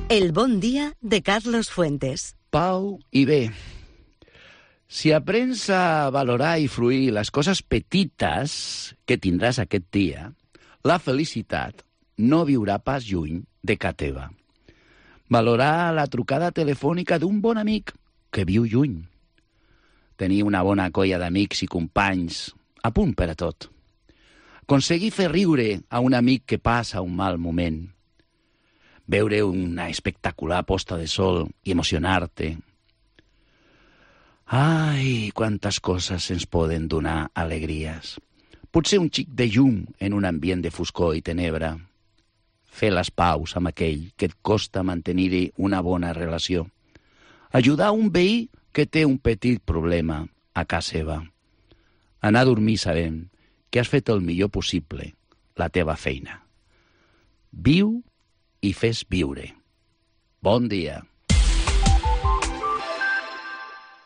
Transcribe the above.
El bon dia de Carlos Fuentes. Pau i bé. Si aprens a valorar i fruir les coses petites que tindràs aquest dia, la felicitat no viurà pas lluny de ca teva. Valorar la trucada telefònica d'un bon amic que viu lluny. Tenir una bona colla d'amics i companys a punt per a tot. Aconseguir fer riure a un amic que passa un mal moment. Veure una espectacular posta de sol i emocionar-te. Ai, quantes coses ens poden donar alegries. Potser un xic de llum en un ambient de foscor i tenebra. Fer les paus amb aquell que et costa mantenir-hi una bona relació. Ajudar un veí que té un petit problema a casa seva. Anar a dormir sabent que has fet el millor possible la teva feina. Viu i fes viure. Bon dia.